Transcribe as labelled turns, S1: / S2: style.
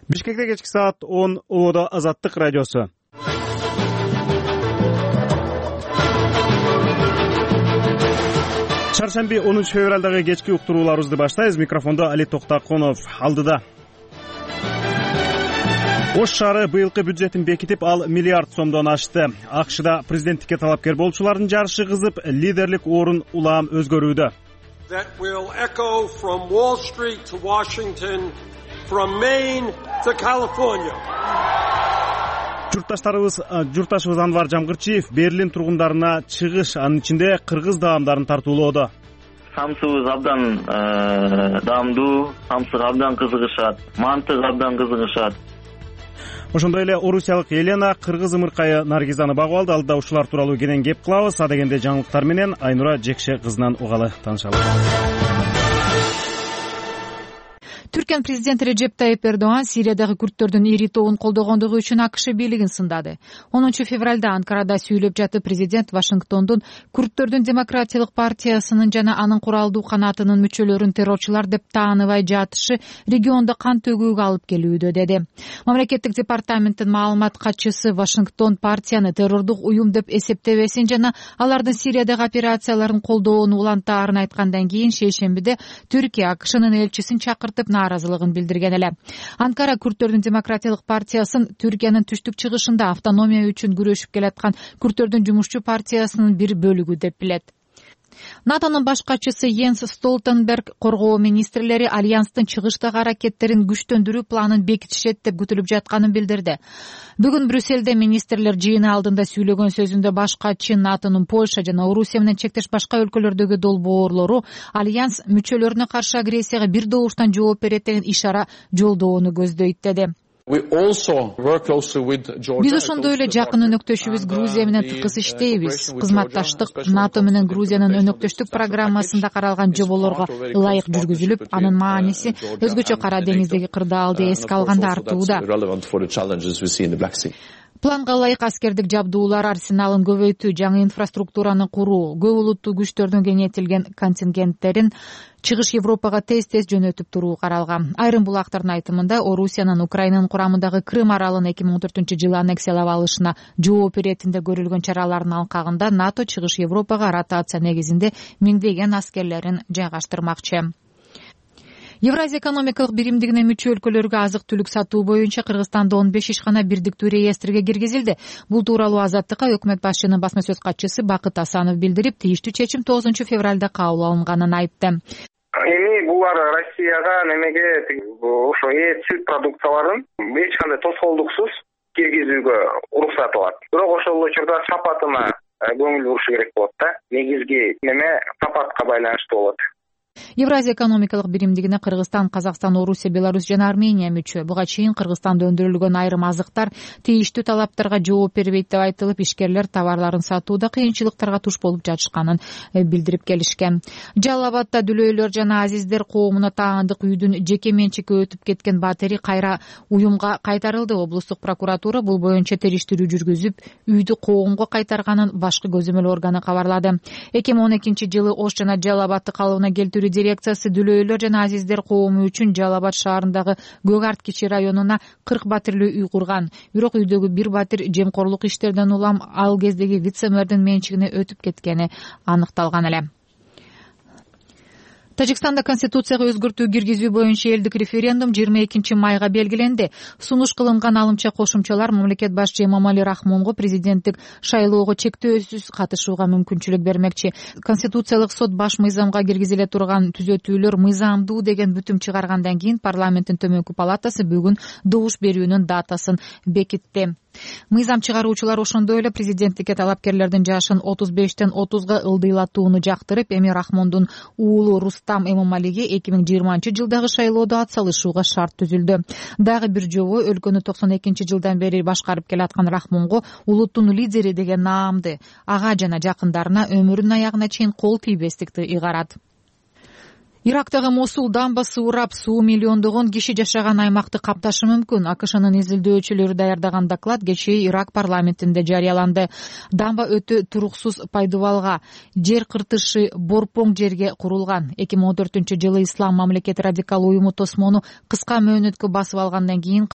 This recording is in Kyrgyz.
S1: Бишкекте кечки саат 10 Улуудо Азаттык радиосу. Чаршемби 10 февралдагы кечки уктурууларыбызды баштайбыз. Микрофондо Али Токтакунов алдыда. Ош шаары быйылкы бюджетин бекитип, ал миллиард сомдон ашты. АКШда президенттикке талапкер болчулардын жарышы кызып, лидерлик орун улам өзгөрүүдө.
S2: That will echo from Wall Street to Washington, from Maine to California. Журтташыбыз Анвар Жамгырчиев Берлин тургундарына чыгыш, анын ичинде кыргыз даамдарын тартуулоодо.
S3: Самсыбыз абдан даамдуу, самсыга абдан кызыгышат, мантыга абдан кызыгышат.
S1: Ошондой эле орусиялык Елена кыргыз ымыркайы Наргизаны багып алды. Алдыда ушулар тууралуу кенен кеп кылабыз. Адегенде жаңылыктар менен Айнура Жекше кызынан угалы таанышалы.
S4: Түркиянын президенти Режеп Тайип Эрдоган Сириядагы күрттөрдүн ири тобун колдогондугу үчүн АКШ бийлигин сындады. 10 февралда Анкарада сүйлөп жатып, президент Вашингтондун Күрттөрдүн демократиялык партиясынын жана анын куралдуу канатынын мүчөлөрүн террорчулар деп тааныбай жатышы региондо кан төгүүгө алып келүүдө деди. Мамлекеттик департаменттин маалымат катчысы Вашингтон партияны террордук уюм деп эсептебесин жана алардын Сириядагы операцияларын колдоону улантаарын айткандан кийин шейшембиде Түркия АКШнын элчисин чакыртып нааразылыгын билдирген эле. Анкара Күрттөрдүн демократиялык партиясын Түркиянын түштүк чыгышында автономия үчүн күрөшүп келаткан Күрттөрдүн жумушчу партиясынын бир бөлүгү деп билет. НАТОнун баш катчысы Йенс Столтенберг коргоо министрлери альянстын чыгыштагы аракеттерин күчтөндүрүү планын бекитишет деп күтүлүп жатканын билдирди. Бүгүн Брюссельде министрлер жыйыны алдында сүйлөгөн сөзүндө баш катчы НАТОнун Польша жана Орусия менен чектеш башка өлкөлөрдөгү долбоорлору альянс мүчөлөрүнө каршы агрессияга бир добуштан жооп берет деген ишара жолдоону көздөйт деди.
S5: Биз
S4: ошондой эле жакын өнөктөшүбүз Грузия менен тыкыз иштейбиз. Кызматташтык НАТО менен Грузиянын өнөктөштүк программасында каралган жоболорго ылайык жүргүзүлүп, анын мааниси өзгөчө Кара деңиздеги кырдаалды эске алганда артууда. Планга ылайык аскердик жабдуулар арсеналын көбөйтүү, жаңы инфраструктураны куруу, көп улуттуу күчтөрдүн кеңейтилген контингенттерин чыгыш Европага тез-тез жөнөтүп туруу каралган. Айрым булактардын айтымында Орусиянын Украинанын курамындагы Крым аралын 2014-жылы аннексиялап алышына жооп иретинде көрүлгөн чаралардын алкагында НАТО чыгыш Европага ротация негизинде миңдеген аскерлерин жайгаштырмакчы. Евразия экономикалык биримдигине мүчө өлкөлөргө азык-түлүк сатуу боюнча Кыргызстанда 15 ишкана биrdиктүү реестрге киргизилди. Бул тууралуу Азаттыкка өкмөт башчынын басма сөз катчысы Бакыт Асанов билдирип, тийиштүү чечим 9 февралда кабыл алынганын айтты.
S6: Эми булар Россияга немеге ошо сүт продукцияларын эч кандай тоскоолдуксуз киргизүүгө уруксат алат. Бирок ошол учурда сапатына көңүл буруш керек болот да. Негизги неме сапатка байланыштуу болот.
S4: Евразия экономикалык биримдигине Кыргызстан, Казакстан, Орусия, Беларусь жана Армения мүчө. Буга чейин Кыргызстанда өндүрүлгөн айрым азыктар тийиштүү талаптарга жооп бербейт деп айтылып, ишкерлер товарларын сатууда кыйынчылыктарга туш болуп жатышканын билдирип келишкен. Жалал Абадда дүлөйлөр жана азиздер коомуна таандык үйдүн жеке менчикке өтүп кеткен батири кайра уюмга кайтарылды. Облустук прокуратура бул боюнча териштирүү жүргүзүп, үйдү коомго кайтарганын башкы көзөмөл органы кабарлады. 2012-жылы Ош жана Жалал Абадды калыбына келтирүү дирекциясы дүлөйлөр жана азиздер коому үчүн Жалал Абад шаарындагы Көк Арт кичи районуна 40 батирлүү үй курган. Бирок үйдөгү бир батир жемкорлук иштерден улам ал кездеги вице-мэрдин менчигине өтүп кеткени аныкталган эле. Тажикстанда конституцияга өзгөртүү киргизүү боюнча элдик референдум 22 майга белгиленди. Сунуш кылынган алымча кошумчалар мамлекет башчы Эмомали Рахмонго президенттик шайлоого чектөөсүз катышууга мүмкүнчүлүк бермекчи. Конституциялык сот баш мыйзамга киргизиле турган түзөтүүлөр мыйзамдуу деген бүтүм чыгаргандан кийин парламенттин төмөнкү палатасы бүгүн добуш берүүнүн датасын бекитти. Мыйзам чыгаруучулар ошондой эле президенттикке талапкерлердин жашын 35-тен 30га ылдыйлатууну жактырып, эми Рахмондун уулу Рустам Эмомалиге 2020-жылдагы шайлоодо атсалышууга шарт түзүлдү. Дагы бир жобо өлкөнү 92-жылдан бери башкарып келаткан Рахмонго улуттун лидери деген наамды, ага жана жакындарына өмүрүнүн аягына чейин кол тийбестикти ыйгарат. Ирактагы Мосул дамбасы урап, суу миллиондогон киши жашаган аймакты капташы мүмкүн. АКШнын изилдөөчүлөрү даярдаган доклад кечээ Ирак парламентинде жарыяланды. Дамба өтө туруксуз пайдубалга, жер кыртышы борпоң жерге курулган. 2014-жылы Ислам мамлекети радикал уюму тосмону кыска мөөнөткө басып алгандан кийин